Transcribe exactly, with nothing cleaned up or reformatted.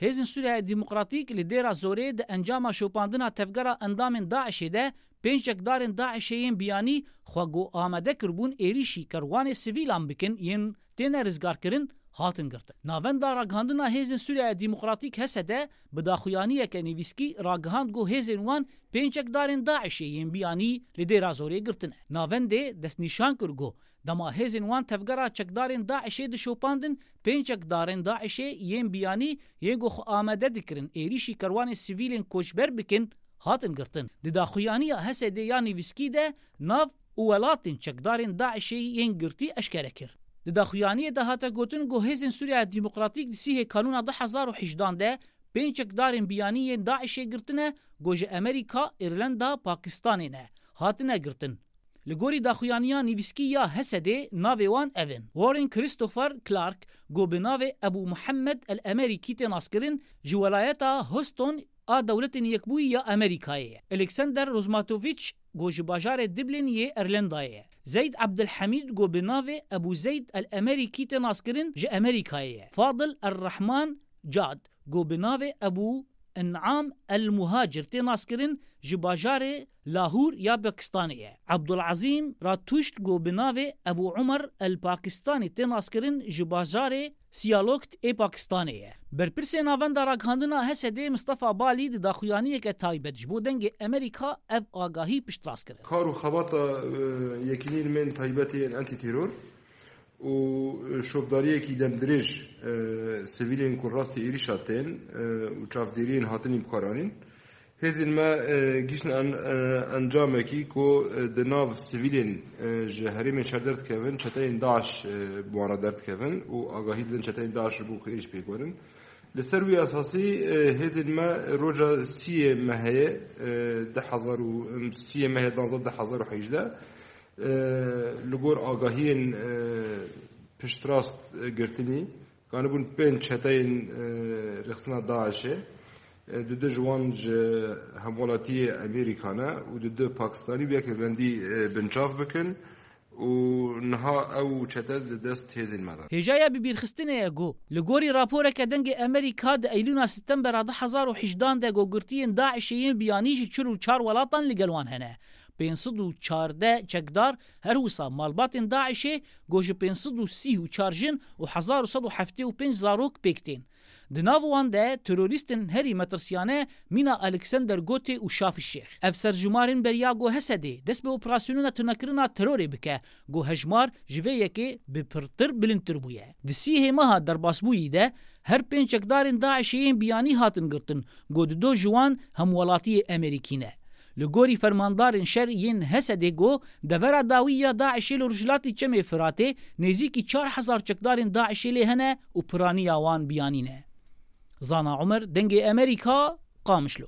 Hêzên Sûriya Demokratîk li Dêra Zorê di encama şopandina tevgera endamên DAIŞê de pênc çekdarên DAIŞê yên biyanî xwe ku amade kiribûn êrîşî kerwanê sivîlan bikin yên têne rizgarkirin, hatin girtin. Navenda Ragihandina Hêzên Sûriya Demokratîk, H S D, bi daxuyaniyeke nivîskî ragihand ku hêzên wan pênc çekdarên DAIŞê yên biyanî li Dêra Zorê girtine. Navendê destnîşan kir ku dema hêzên wan tevgera çekdarên DAIŞê dişopandin, pênc çekdarên DAIŞê yên biyanî yên ku xwe amade dikirin êrîşî kerwanê sivîlên koçber bikin, hatin girtin. Di daxuyaniya H S D ya nivîskî de nav û welatên çekdarên DAIŞê yên girtî eşkere kir. Di daxuyaniyê de hate gotin ku Hêzên Sûriya Demokratîk di sîhê Kanûna du hezar û hejdan de pênc çekdarên biyanî yên DAIŞê girtine ku ji Amerîka, Îrlanda, Pakistanê ne, hatine girtin. Li gorî daxuyaniya nivîskî ya H S D navê wan ev in: Warren Christopher Clark, ku bi navê Ebû Muhammed El Emerîkî tê naskirin, ji welayeta Houston a Dewletên Yekbûyî ya Amerîkayê ye. Alexander Rozmatovich, ku ji bajarê Dublin yê Îrlandayê ye. Zeyd Abdulhamid, ku bi navê Ebû Zeyd El Emerîkî tê naskirin, ji Amerîkayê ye. Fadil Er Rahman Cad, ku bi navê Ebû En'am El Muhacir tê naskirin, ji bajarê Lahûr ya Pakistanê ye. Abdulazîm Ratuşt, ku bi navê Ebû Umer El Pakistanî tê naskirin, ji bajarê Siyalokt ê Pakistanê ye. Berpirsê Navenda Ragihandina H S D Mistefa Balî di daxuyaniyeke taybet ji bo Dengê Amerîka ev agahî piştrast kirin. Kar û xebata, e, yekîneyên me yên taybet yên antîteror û şopdariyekî demdirêj, e, sivîlên ku rastî êrîşa tên, e, û çavdêriyên hatinî bikaranîn. Hêzên me, e, gihîştin en-, e, encamekî ku, e, di nav sivîlên, e, ji herêmên şer derdikevin, çeteyên DAIŞ, e, bi wan re derdikevin û agahî didin çeteyên DAIŞ ji bo ku êrîş pêk werin. Li ser wî esasî, e, hêzên me roja sîyê mehê, e, du hezar û, em, sîyê mehê duwazdeh du hezar û hejdeh, e, li gor agahiyên, e, piştrast, e, girtinî, ganibûn pênc çeteyên, e, rêxistina DAIŞê, e, du du ji wan ji hemwelatiyê Amerîka ne û du du Pakistanî û yek Îrlandî, e, binçav bikin û niha ew çete di dest hêzên me de. Hêjaya bibîrxistinê ye ku, li gorî raporeke Dengê Amerîka, di Eylûna Setembera du hezar û hejdan de ku girtiyên DAIŞê yên biyanî ji çil û çar welatan li gel wan hene. Pênc sed û çardeh çekdar, her wisa malbatên DAIŞê ku ji pênc sed û sî û çar jin û hezar û sed û heftê û pênc zarok pêk tên. Di nav wan de terorîstên herî metirsiyane mîna Alexander Gotê û Şafî Şêx. Ev serjimarên beriya ku H S D dest bi operasyonên tunekirina terorê bike, ku hejmar ji vê yekê bi pirtir bilindtir bûye. Di sîhê meha derbasbûyî de her pênc çekdarên DAIŞê yên biyanî hatin girtin, ku du du ji wan hemwelatiyê Amerîkî ne. Li gorî fermandarên şer yên H S D ku devera dawî ya DAIŞê li rojhilatî Çemê Firatê nêzîkî çar hezar çekdarên DAIŞê lê hene û piraniya wan biyanî ne. Zana Umer, Dengê Amerîka, Qamişlo.